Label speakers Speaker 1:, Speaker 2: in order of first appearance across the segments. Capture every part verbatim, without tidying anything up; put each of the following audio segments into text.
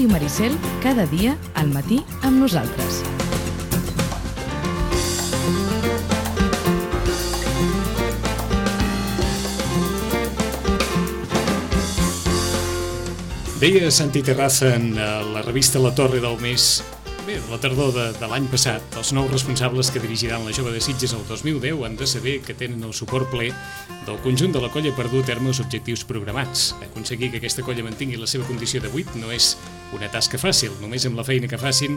Speaker 1: Ràdio Maricel, cada dia al matí amb nosaltres.
Speaker 2: Deia Santi Terraza en la revista La Torre del mes, bé, la tardor de, de l'any passat, els nous responsables que dirigiran la Jove de Sitges el dos mil deu han de saber que tenen el suport ple del conjunt de la colla per dur a terme els objectius programats. Aconseguir que aquesta colla mantingui la seva condició de vuit no és una tasca fàcil. Només amb la feina que facin,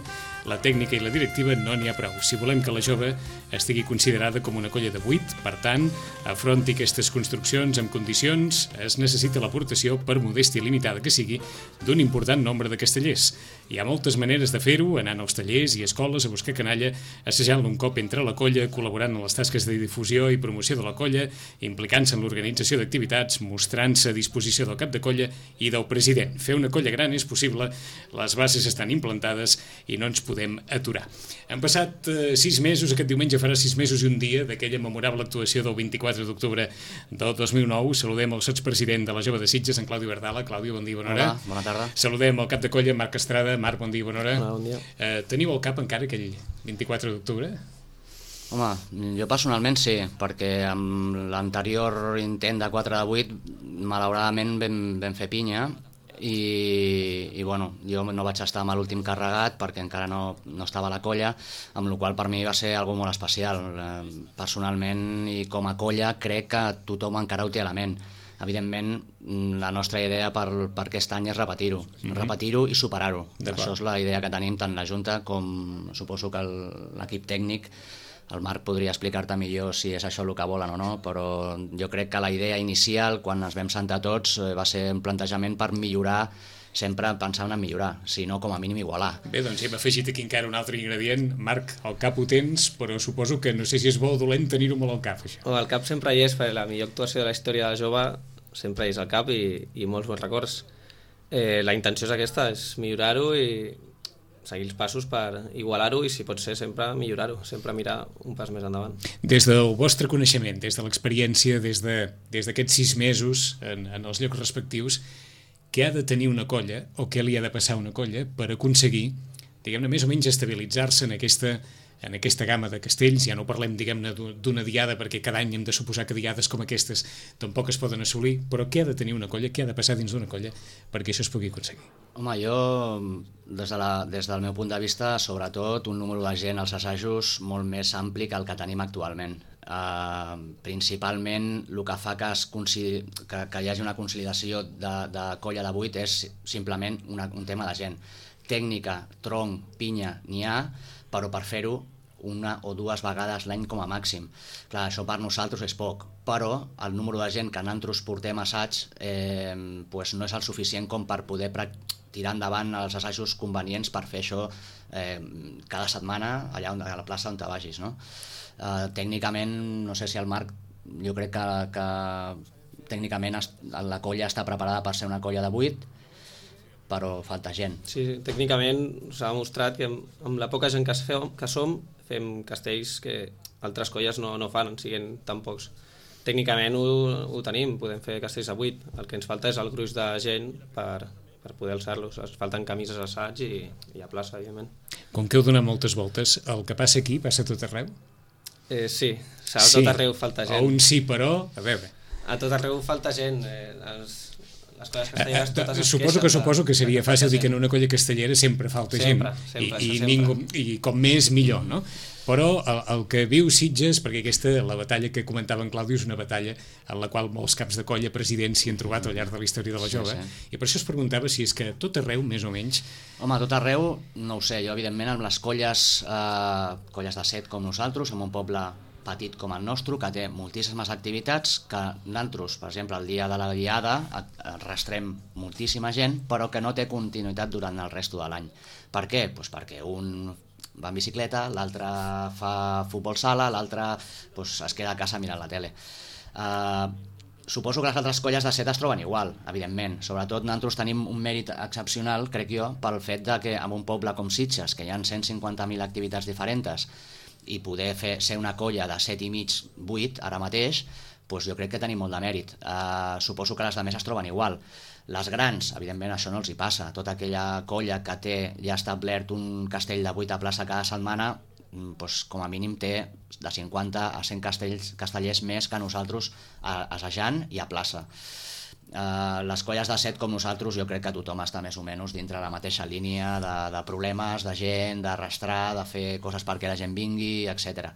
Speaker 2: la tècnica i la directiva no n'hi ha prou. Si volem que la Jove estigui considerada com una colla de vuit, per tant, afronti aquestes construccions amb condicions, es necessita l'aportació, per modèstia limitada que sigui, d'un important nombre de castellers. Hi ha moltes maneres de fer-ho, anant als tallers i escoles a buscar canalla, assajant-lo un cop entre la colla, col·laborant en les tasques de difusió i promoció de la colla, implicant-se en l'organització d'activitats, mostrant-se a disposició del cap de colla i del president. Fer una colla gran és possible, les bases estan implantades i no ens podem aturar. Han passat eh, sis mesos, aquest diumenge farà sis mesos i un dia d'aquella memorable actuació del vint-i-quatre d'octubre del dos mil nou. Saludem el sotspresident de la Jove de Sitges, en Claudio Verdala. Claudio, bon dia, bona hora.
Speaker 3: Hola, bona tarda.
Speaker 2: Saludem el cap de colla, Marc Estrada. Marc, bon dia, bona hora.
Speaker 3: Hola, bon dia.
Speaker 2: Eh, teniu al cap encara aquell vint-i-quatre d'octubre?
Speaker 3: Home, jo personalment sí, perquè amb l'anterior intent de quatre de vuit malauradament vam, vam fer pinya i, i bueno, jo no vaig estar amb l'últim carregat perquè encara no, no estava a la colla, amb la qual per mi va ser algo molt especial. Personalment i com a colla crec que tothom encara ho té a la ment. Evidentment, la nostra idea per, per aquest any és repetir-ho, mm-hmm. repetir-ho i superar-ho. Això és la idea que tenim tant la Junta com suposo que l'equip tècnic. El Marc podria explicar-te millor si és això el que volen o no, però jo crec que la idea inicial, quan ens vam sentar tots, va ser un plantejament per millorar, sempre pensant en millorar, si no com a mínim igualar.
Speaker 2: Bé, doncs hem afegit aquí encara un altre ingredient. Marc, al cap ho tens, però suposo que no sé si és bo o dolent tenir-ho molt al cap, això.
Speaker 4: Oh, el cap sempre hi és, perquè la millor actuació de la història de la Jove sempre hi és al cap i, i molts bons records. Eh, la intenció és aquesta, és millorar-ho i seguir els passos per igualar-ho i, si pot ser, sempre millorar-ho, sempre mirar un pas més endavant.
Speaker 2: Des del vostre coneixement, des de l'experiència, des de, des d'aquests sis mesos en, en els llocs respectius, què ha de tenir una colla o què li ha de passar a una colla per aconseguir, diguem-ne, més o menys estabilitzar-se en aquesta, en aquesta gamma de castells? Ja no parlem, diguem-ne, d'una diada, perquè cada any hem de suposar que diades com aquestes tampoc es poden assolir, però què ha de tenir una colla, què ha de passar dins d'una colla perquè això es pugui aconseguir?
Speaker 3: Home, jo, des, de la, des del meu punt de vista, sobretot un número de gent als assajos molt més ampli que el que tenim actualment. Uh, principalment el que fa que, es que, que hi hagi una consolidació de, de colla de vuit és simplement una, un tema de gent. Tècnica, tronc, pinya, n'hi ha, però per fer-ho una o dues vegades l'any com a màxim. Clar, això per nosaltres és poc, però el número de gent que nosaltres portem assaig eh, pues no és el suficient com per poder tirar endavant els assajos convenients per fer això eh, cada setmana allà on, a la plaça on te vagis, no? Eh, tècnicament, no sé si el Marc, jo crec que, que tècnicament la colla està preparada per ser una colla de vuit, però falta gent.
Speaker 4: Sí, tècnicament s'ha demostrat que amb, amb la poca gent que, fem, que som fem castells que altres colles no, no fan, siguin tan pocs. Tècnicament ho, ho tenim, podem fer castells a vuit, el que ens falta és el gruix de gent per, per poder alçar-los. Es falten camises d'assaig i, i a plaça, evidentment.
Speaker 2: Com que heu donat moltes voltes, el que passa aquí passa a tot arreu?
Speaker 4: Eh, sí, a tot sí. arreu falta gent.
Speaker 2: O un sí, però, a veure...
Speaker 4: A tot arreu falta gent, eh, els... les colles castelleres totes es
Speaker 2: suposo que suposo que seria fàcil dir que en una colla castellera sempre falta
Speaker 4: sempre,
Speaker 2: gent
Speaker 4: sempre,
Speaker 2: i, i,
Speaker 4: sempre.
Speaker 2: ningú, i com més millor, no? Però el, el que viu Sitges, perquè aquesta, la batalla que comentava en Claudio, és una batalla en la qual molts caps de colla, presidents s'hi han trobat al llarg de la història de la Jove, sí, sí. I per això es preguntava si és que tot arreu, més o menys...
Speaker 3: Home, tot arreu, no ho sé, jo evidentment amb les colles, eh, colles de set com nosaltres, en un poble petit com el nostre, que té moltíssimes activitats, que nosaltres, per exemple, el dia de la diada arrastrem moltíssima gent, però que no té continuïtat durant el resto de l'any. Per què? Pues perquè un va en bicicleta, l'altre fa futbol sala, l'altre pues, es queda a casa mirant la tele. Uh, suposo que les altres colles de set es troben igual, evidentment. Sobretot nosaltres tenim un mèrit excepcional, crec jo, pel fet de que en un poble com Sitges, que hi ha cent cinquanta mil activitats diferents, i poder fer, ser una colla de set i mig, vuit, ara mateix, doncs jo crec que tenim molt de mèrit. Uh, suposo que les de més es troben igual. Les grans, evidentment, això no els hi passa. Tota aquella colla que té ja establert un castell de vuit a plaça cada setmana, doncs, com a mínim té de cinquanta a cent castells, castellers més que nosaltres assajant i a plaça. Uh, les colles de set com nosaltres jo crec que tothom està més o menys dintre la mateixa línia de, de problemes, de gent, d'arrastrar, de fer coses perquè la gent vingui, etcètera.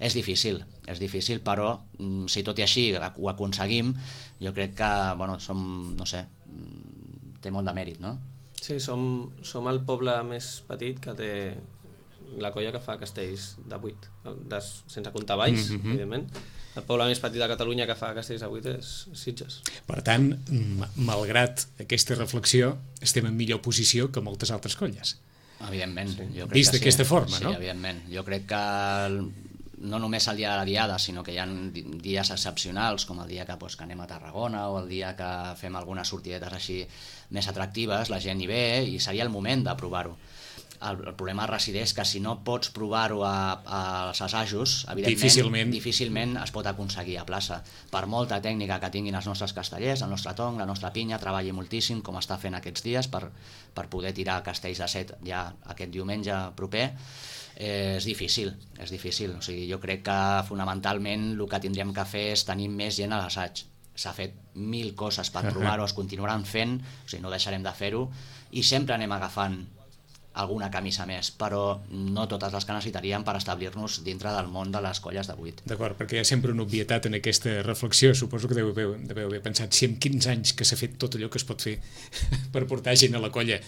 Speaker 3: És difícil, és difícil, però si tot i així ho aconseguim, jo crec que, bueno, som, no sé, té molt de mèrit, no?
Speaker 4: Sí, som, som el poble més petit que té la colla que fa castells de vuit, de, sense comptar Valls, mm-hmm. evidentment. El poble més petit de Catalunya que fa castells de vuit és Sitges.
Speaker 2: Per tant, malgrat aquesta reflexió, estem en millor posició que moltes altres colles.
Speaker 3: Evidentment.
Speaker 2: Sí.
Speaker 3: Jo crec
Speaker 2: Vist d'aquesta
Speaker 3: sí.
Speaker 2: forma,
Speaker 3: sí,
Speaker 2: no?
Speaker 3: Sí, evidentment. Jo crec que no només el dia de la diada, sinó que hi ha dies excepcionals, com el dia que, doncs, que anem a Tarragona o el dia que fem algunes sortidetes així més atractives, la gent hi ve i seria el moment de provar-ho. El, el problema resideix que si no pots provar-ho als assajos, evidentment,
Speaker 2: difícilment.
Speaker 3: difícilment es pot aconseguir a plaça. Per molta tècnica que tinguin els nostres castellers, el nostre tong, la nostra pinya, treballi moltíssim, com està fent aquests dies, per, per poder tirar castells de set ja aquest diumenge proper, eh, és difícil, és difícil. O sigui, jo crec que fonamentalment el que tindríem que fer és tenir més gent a l'assaig. S'ha fet mil coses per provar-ho, es continuaran fent, o sigui, no deixarem de fer-ho, i sempre anem agafant alguna camisa més, però no totes les que necessitaríem per establir-nos dintre del món de les colles de vuit.
Speaker 2: D'acord, perquè hi ha sempre una obvietat en aquesta reflexió. Suposo que deveu haver, deveu haver pensat si en quinze anys que s'ha fet tot allò que es pot fer per portar gent a la colla,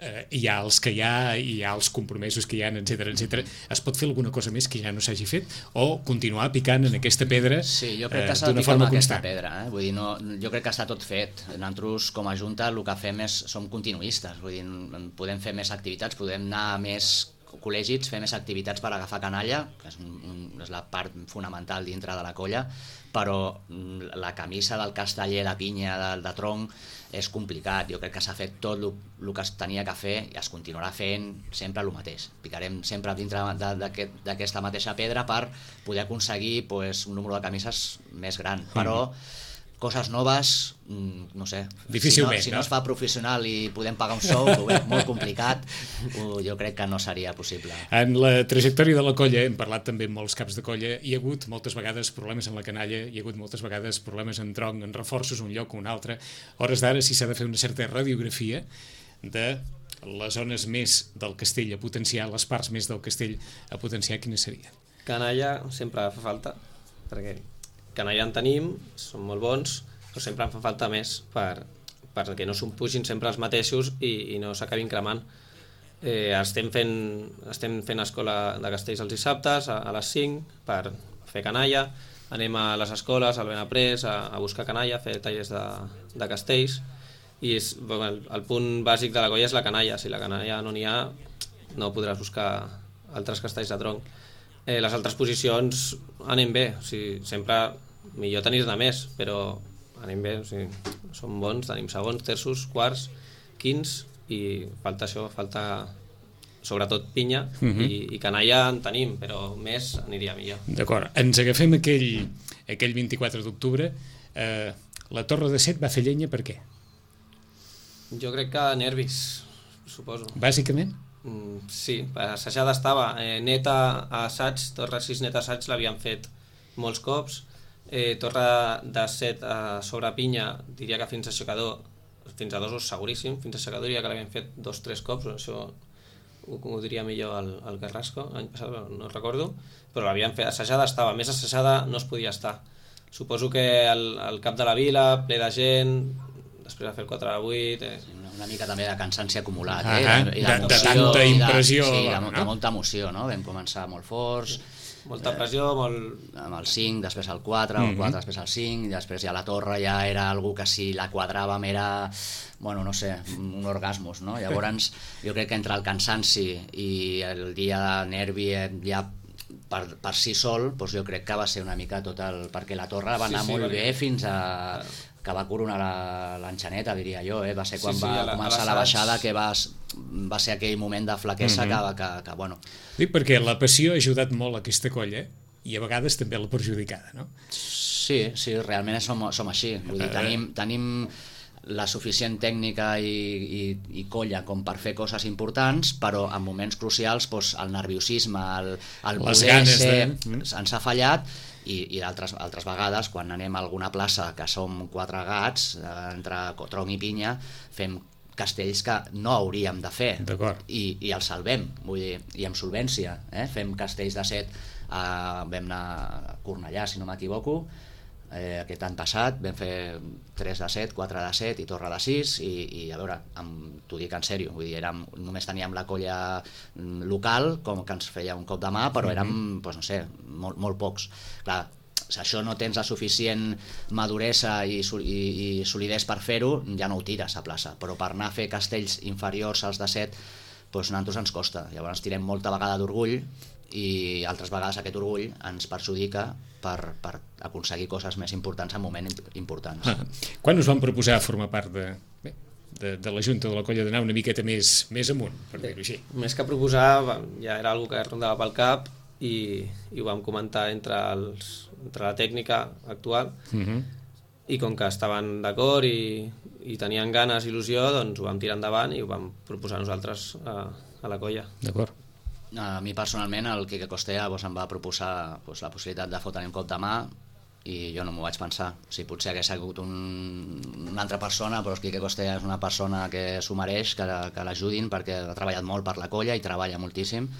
Speaker 2: eh, hi ha els que hi ha, hi ha els compromisos que hi ha, etcètera, etcètera. Es pot fer alguna cosa més que ja no s'hagi fet o continuar picant en aquesta pedra
Speaker 3: sí, jo crec que
Speaker 2: eh,
Speaker 3: s'ha de
Speaker 2: d'una
Speaker 3: picar
Speaker 2: forma
Speaker 3: amb aquesta
Speaker 2: constant?
Speaker 3: pedra, eh? Vull dir, no, jo crec que està tot fet. Nosaltres, com a Junta, el que fem és, som continuistes, vull dir, podem fer més activitats, podem anar a més col·legis, fer més activitats per agafar canalla, que és, un, és la part fonamental dintre de la colla, però la camisa del casteller de pinya, de, de tronc, és complicat. Jo crec que s'ha fet tot el que es tenia que fer i es continuarà fent sempre el mateix. Picarem sempre dintre d'aquesta mateixa pedra per poder aconseguir pues, un número de camises més gran, però coses noves, no sé,
Speaker 2: difícilment,
Speaker 3: si no, si no es fa professional i podem pagar un sou, que ho veig molt complicat, jo crec que no seria possible.
Speaker 2: En la trajectòria de la colla, hem parlat també amb molts caps de colla, hi ha hagut moltes vegades problemes en la canalla, hi ha hagut moltes vegades problemes en tronc, en reforços, un lloc o un altre. A hores d'ara, si s'ha de fer una certa radiografia de les zones més del castell a potenciar, les parts més del castell a potenciar, quines serien?
Speaker 4: Canalla sempre fa falta, perquè canalla en tenim, són molt bons, però sempre en fa falta més per, perquè no s'ho pugin sempre els mateixos i, i no s'acabin cremant. Eh, estem, fent, estem fent escola de castells els dissabtes a, a les cinc per fer canalla, anem a les escoles, al Benaprés, a, a buscar canalla, a fer tallers de, de castells, i és, bueno, el, el punt bàsic de la colla és la canalla. Si la canalla no n'hi ha, no podràs buscar altres castells de tronc. Eh, les altres posicions anem bé, o sigui, sempre millor tenir-ne més, però anem bé, o sigui, som bons, tenim segons, terços, quarts, quins, i falta això, falta sobretot pinya, uh-huh. i, i canalla en tenim, però més aniria millor.
Speaker 2: D'acord, ens agafem aquell, aquell vint-i-quatre d'octubre, eh, la Torre de Set va fer llenya per què?
Speaker 4: Jo crec que nervis, suposo.
Speaker 2: Bàsicament?
Speaker 4: Mm, sí, assajada estava, eh, neta a assaig, Torre sis neta a assaig l'havien fet molts cops, eh, Torre de set a sobre pinya, diria que fins a aixecador, fins a dos seguríssim, fins a aixecador diria que l'havien fet dos o tres cops, això ho, ho diria millor el, el Carrasco, l'any passat no recordo, però l'havien fet, assajada estava, més assajada no es podia estar. Suposo que el, el cap de la vila, ple de gent, després de fer el quatre a vuit... Eh.
Speaker 3: Una mica també de cansanci acumulat,
Speaker 2: ah,
Speaker 3: eh?
Speaker 2: Ah,
Speaker 3: I
Speaker 2: de, de tanta impressió.
Speaker 3: Sí, de,
Speaker 2: no?
Speaker 3: de molta emoció, no? Vam començar molt forts.
Speaker 4: Molta pressió,
Speaker 3: eh,
Speaker 4: molt...
Speaker 3: Amb el cinc, després el quatre, mm-hmm. el quatre després el cinc, i després ja la torre ja era algú que si la quadraven era, bueno, no sé, un orgasmus, no? Llavors, jo crec que entre el cansanci i el dia de nervi ja per, per si sol, doncs jo crec que va ser una mica tot el... perquè la torre va anar sí, sí, molt bé fins a... que va coronar l'enxaneta, diria jo, eh? Va ser quan sí, sí, va la, començar la baixada que va, va ser aquell moment de flaquesa mm-hmm. que, que, que, bueno...
Speaker 2: Dic perquè la passió ha ajudat molt a aquesta colla i a vegades també l'ha perjudicada, no?
Speaker 3: Sí, sí, realment som, som així. Vull dir, tenim, tenim la suficient tècnica i, i, i colla com per fer coses importants, però en moments crucials doncs, el nerviosisme, el, el poder ser, de... ens ha fallat, i, i altres, altres vegades, quan anem a alguna plaça que som quatre gats, entre tronc i pinya, fem castells que no hauríem de fer i, i els salvem, vull dir, i amb solvència, eh? Fem castells de set, a, vam anar a Cornellà, si no m'equivoco, eh, aquest any passat vam fer tres de set, quatre de set i torre de sis, i, i a veure, t'ho dic en sèrio, vull dir, érem, només teníem la colla local, com que ens feia un cop de mà, però érem, doncs, no sé, molt, molt pocs. Clar, si això no tens la suficient maduresa i, i, i solidesa per fer-ho, ja no ho tires a plaça, però per anar a fer castells inferiors als de set, doncs a nosaltres ens costa. Llavors tirem molta vegada d'orgull i altres vegades aquest orgull ens perjudica per, per aconseguir coses més importants en moments importants.
Speaker 2: Ah, quan us van proposar formar part de, bé, de, de la Junta de la Colla d'anar una miqueta més, més amunt, per dir-ho així?
Speaker 4: Més que proposar, ja era una que rondava pel cap i, i ho vam comentar entre, els, entre la tècnica actual uh-huh. i com que estaven d'acord i, i tenien ganes, il·lusió, doncs ho vam tirar endavant i ho vam proposar nosaltres a, a la colla.
Speaker 2: D'acord.
Speaker 3: A mi personalment el Quique Costea doncs, em va proposar doncs, la possibilitat de fotre'm un cop de mà i jo no m'ho vaig pensar. O sigui, potser hagués sigut un, una altra persona, però el Quique Costea és una persona que s'ho mereix, que, que l'ajudin, perquè ha treballat molt per la colla i treballa moltíssim.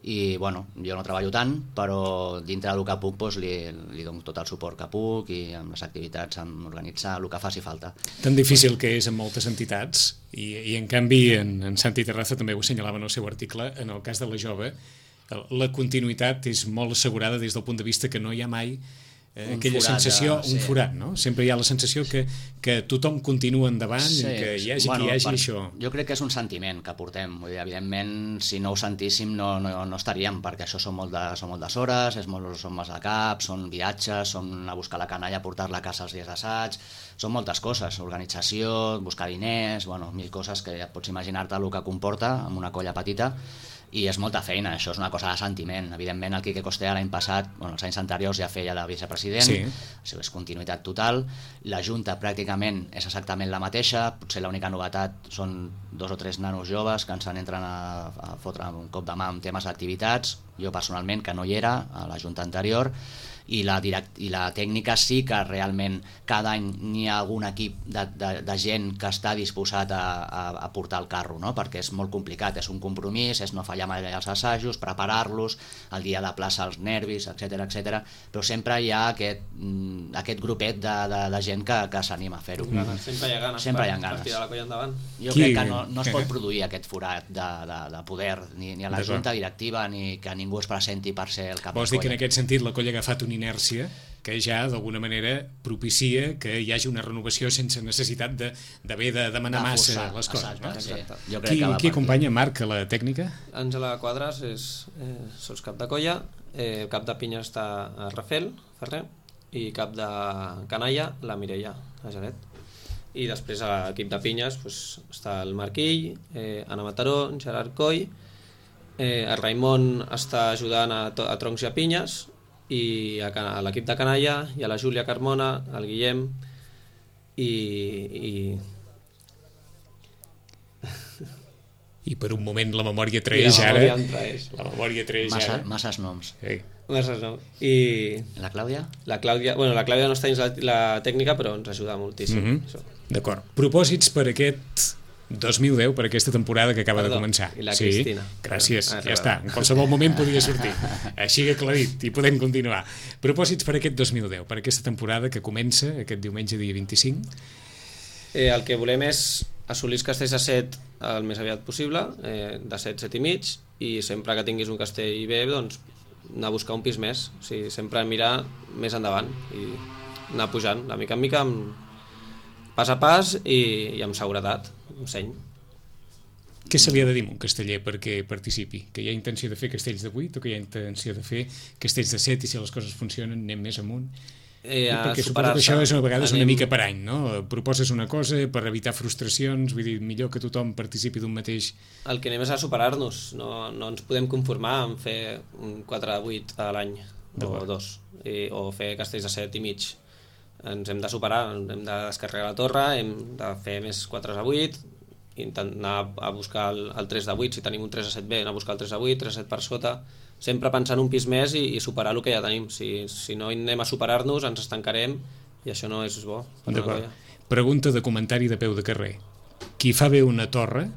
Speaker 3: I bueno, jo no treballo tant, però dintre del que puc doncs, li, li dono tot el suport que puc i amb les activitats, amb organitzar el que faci falta.
Speaker 2: Tan difícil que és en moltes entitats i, i en canvi en, en Santi Terraza també ho assenyalava en el seu article, en el cas de la jove la continuïtat és molt assegurada des del punt de vista que no hi ha mai eh, aquella forat, sensació, ja, sí. un forat, no? Sempre hi ha la sensació que, que tothom continua endavant, sí, i que hi hagi bueno, qui hi hagi per, això.
Speaker 3: Jo crec que és un sentiment que portem, vull dir, evidentment si no ho sentíssim no, no, no estaríem, perquè això són, molt de, són moltes hores, és molt, són molts de cap, són viatges, són a buscar la canalla, portar-la a casa els dies d'assaig, són moltes coses, organització, buscar diners, bueno, mil coses que ja pots imaginar-te el que comporta amb una colla petita, i és molta feina, això és una cosa de sentiment. Evidentment el Quique Costea l'any passat, bueno, els anys anteriors ja feia de vicepresident, sí. Això és continuïtat total, la Junta pràcticament és exactament la mateixa, potser l'única novetat són dos o tres nanos joves que ens entren a, a fotre un cop de mà amb temes d'activitats, jo personalment que no hi era a la Junta anterior, i la, direct, i la tècnica sí que realment cada any n'hi ha algun equip de, de, de gent que està disposat a, a, a portar el carro, no? Perquè és molt complicat, és un compromís, és no fallar mai els assajos, preparar-los, el dia de plaça els nervis, etcètera, etcètera, però sempre hi ha aquest, aquest grupet de, de, de gent que, que s'anima a fer-ho.
Speaker 4: Mm. Sempre hi ha ganes,
Speaker 3: sempre hi ha ganes.
Speaker 4: Per tirar la colla endavant.
Speaker 3: Jo Qui? crec que no, no es pot produir aquest forat de, de, de poder, ni, ni a la Junta directiva, ni que ningú es presenti per ser el cap de colla.
Speaker 2: Vols dir que en aquest sentit la colla ha agafat una inèrcia que ja d'alguna manera propicia que hi hagi una renovació sense necessitat d'haver de, de demanar de massa forçar, les coses,
Speaker 3: exacte,
Speaker 2: no?
Speaker 3: Sí. Jo crec
Speaker 2: qui,
Speaker 3: que
Speaker 2: qui acompanya Marc a la tècnica?
Speaker 4: Àngela Quadras és eh, sols cap de colla, eh, cap de pinya està a Rafel Ferrer i cap de canalla la Mireia, la Janet. I després a l'equip de pinyes pues, està el Marquill, eh, Anna Mataró, Gerard Coll, eh, el Raimon està ajudant a, a troncs i a pinyes, i a, a l'equip de canalla i a la Júlia Carmona, el Guillem i i...
Speaker 2: i per un moment la memòria traeix
Speaker 4: la
Speaker 2: ara
Speaker 4: memòria traeix.
Speaker 2: la memòria traeix
Speaker 3: Massa,
Speaker 2: ara
Speaker 3: masses noms
Speaker 2: sí.
Speaker 4: masses noms i
Speaker 3: la Clàudia?
Speaker 4: La Clàudia, bueno, la Clàudia no està dins la, la tècnica però ens ajuda moltíssim.
Speaker 2: Mm-hmm. D'acord, propòsits per aquest dos mil deu, per aquesta temporada que acaba
Speaker 4: Perdó,
Speaker 2: de començar.
Speaker 4: I la
Speaker 2: sí,
Speaker 4: Cristina.
Speaker 2: Gràcies, ah, ja està. En qualsevol moment podia sortir. Així que aclarit, i podem continuar. Propòsits per aquest dos mil deu, per aquesta temporada que comença aquest diumenge dia vint-i-cinc.
Speaker 4: Eh, el que volem és assolir els castells de set el més aviat possible, eh, de set, set i mig, i sempre que tinguis un castell bé, doncs anar a buscar un pis més. O sigui, sempre mirar més endavant i anar pujant, de mica en mica, amb pas a pas i, i amb seguretat, amb seny.
Speaker 2: Què se li ha de dir a un casteller perquè participi? Que hi ha intenció de fer castells de vuit o que hi ha intenció de fer castells de set i si les coses funcionen anem més amunt?
Speaker 4: Eh,
Speaker 2: perquè suposo que això és a vegades anem... una mica per any, no? Proposes una cosa per evitar frustracions, vull dir, millor que tothom participi d'un mateix...
Speaker 4: El que anem és a superar-nos, no, no ens podem conformar en fer un quatre de vuit a l'any o dos, i, o fer castells de set i mig. ens hem de superar, hem de descarregar la torre, hem de fer més quatre a vuit, intentar a buscar el, el tres a vuit, si tenim un tres a set bé, anar a buscar el tres a vuit, tres a set per sota, sempre pensant un pis més i, i superar el que ja tenim. Si, si no anem a superar-nos, ens estancarem i això no és bo.
Speaker 2: Pregunta de comentari de peu de carrer. Qui fa bé una torre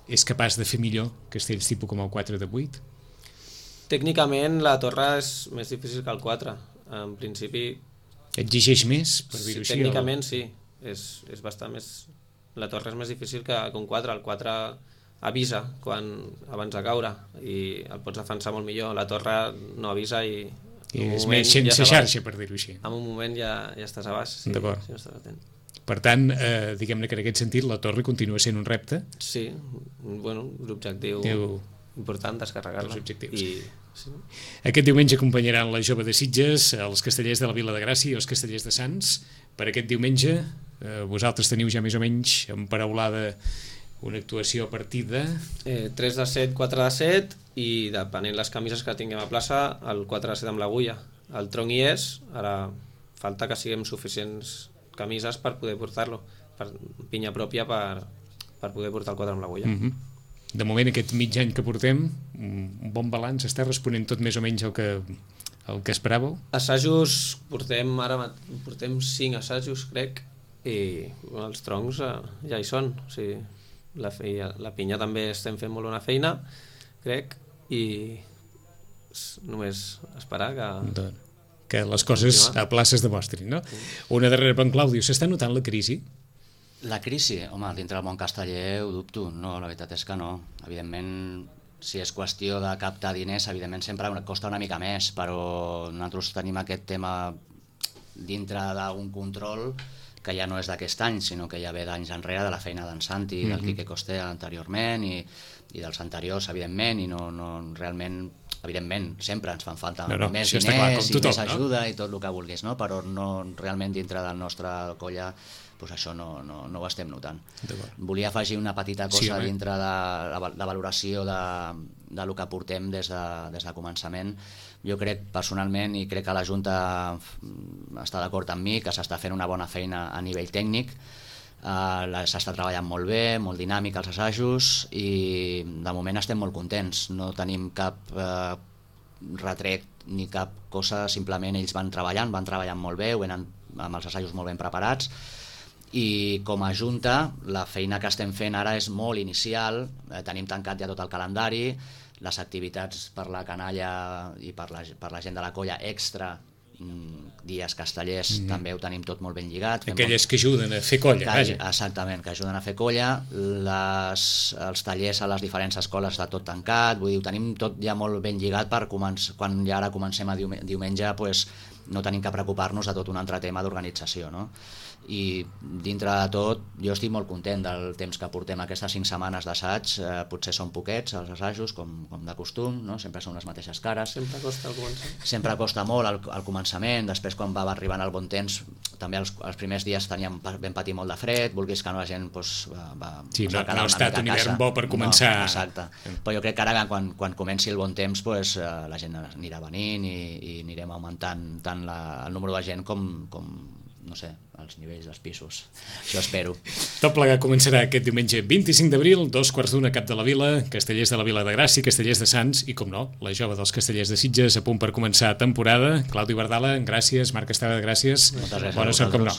Speaker 2: és capaç de fer millor castells tipus com el quatre de vuit?
Speaker 4: Tècnicament la torre és més difícil que el quatre. En principi...
Speaker 2: Exigeix més, per dir-ho
Speaker 4: sí,
Speaker 2: així?
Speaker 4: Tècnicament o... sí, és, és bastant més... La torre és més difícil que, que un quatre. El quatre avisa quan abans de caure i el pots defensar molt millor. La torre no avisa i...
Speaker 2: I és més sense ja xarxa, per dir-ho així.
Speaker 4: En un moment ja, ja estàs a baix, sí, si no estàs atent. Per
Speaker 2: tant, eh, diguem-ne que en aquest sentit la torre continua sent un repte?
Speaker 4: Sí, bueno, l'objectiu Eu... important, descarregar-la.
Speaker 2: Els objectius.
Speaker 4: I... Sí.
Speaker 2: Aquest diumenge acompanyaran la Jove de Sitges, els castellers de la Vila de Gràcia i els castellers de Sants. Per aquest diumenge, eh, vosaltres teniu ja més o menys emparaulada una actuació a partir de...
Speaker 4: Eh, tres de set, quatre de set i depenent les camises que tinguem a plaça, el quatre de set amb l'agulla. El tronc hi és, ara falta que siguem suficients camises per poder portar-lo, per pinya pròpia per, per poder portar el quatre amb l'agulla.
Speaker 2: Mm-hmm. De moment, aquest mig any que portem, un bon balanç, està responent tot més o menys el que, el que esperàveu?
Speaker 4: Assajos, portem ara portem cinc assajos, crec, i els troncs eh, ja hi són. O sigui, la, feia, la pinya també estem fent molt bona feina, crec, i només esperar que...
Speaker 2: Doncs, que les coses a places demostrin, no? Sí. Una darrera per en Clàudio, s'està notant la crisi?
Speaker 3: La crisi, home, dintre del món casteller ho dubto, no, la veritat és que no. Evidentment, si és qüestió de captar diners, evidentment sempre costa una mica més, però nosaltres tenim aquest tema dintre d'un control que ja no és d'aquest any, sinó que ja ve d'anys enrere, de la feina d'en Santi, mm-hmm. del Quique Costea anteriorment i, i dels anteriors, evidentment, i no, no realment, evidentment, sempre ens fan falta
Speaker 2: no, no,
Speaker 3: més diners
Speaker 2: clar, tothom,
Speaker 3: i més ajuda,
Speaker 2: no?
Speaker 3: I tot el que vulguis, no? Però no, realment dintre del nostre colla pues això no, no, no ho estem notant. Volia afegir una petita cosa sí, dintre de la, la valoració de, de lo que portem des de, des de començament. Jo crec personalment, i crec que la Junta està d'acord amb mi, que s'està fent una bona feina a nivell tècnic, uh, s'està treballant molt bé, molt dinàmic els assajos, i de moment estem molt contents. No tenim cap uh, retret ni cap cosa, simplement ells van treballant, van treballant molt bé, ho venen amb els assajos molt ben preparats, i com a Junta la feina que estem fent ara és molt inicial, eh, tenim tancat ja tot el calendari, les activitats per la canalla i per la, per la gent de la colla extra, dies castellers, mm. també ho tenim tot molt ben lligat.
Speaker 2: Aquelles molt... que ajuden a fer colla,
Speaker 3: que,
Speaker 2: vaja.
Speaker 3: Exactament, que ajuden a fer colla, les, els tallers a les diferents escoles està tot tancat, vull dir, ho tenim tot ja molt ben lligat per començar, quan ja ara comencem a diumenge, pues, no tenim que preocupar-nos de tot un altre tema d'organització, no? I dintre de tot jo estic molt content del temps que portem aquestes cinc setmanes d'assaig, eh, potser són poquets els assajos com, com de costum, no? Sempre són les mateixes cares,
Speaker 4: sempre costa al començament,
Speaker 3: sempre costa molt al, al començament, després quan va arribant el bon temps també els, els primers dies teníem ben patir molt de fred, vulguis que no la gent pues, va, va,
Speaker 2: sí, no, no ha estat un hivern bo per començar,
Speaker 3: no, exacte, però jo crec que ara quan, quan comenci el bon temps pues, eh, la gent anirà venint i, i anirem augmentant tant la, el número de gent com, com no sé, els nivells dels pisos. Això espero.
Speaker 2: Tot plegat començarà aquest diumenge vint-i-cinc d'abril, dos quarts d'una, Cap de la Vila, Castellers de la Vila de Gràcia, Castellers de Sants i, com no, la Jove dels Castellers de Sitges a punt per començar temporada. Claudi Bardala, gràcies. Marc Estrada, gràcies.
Speaker 3: Moltes gràcies.
Speaker 2: Bona sort, com no.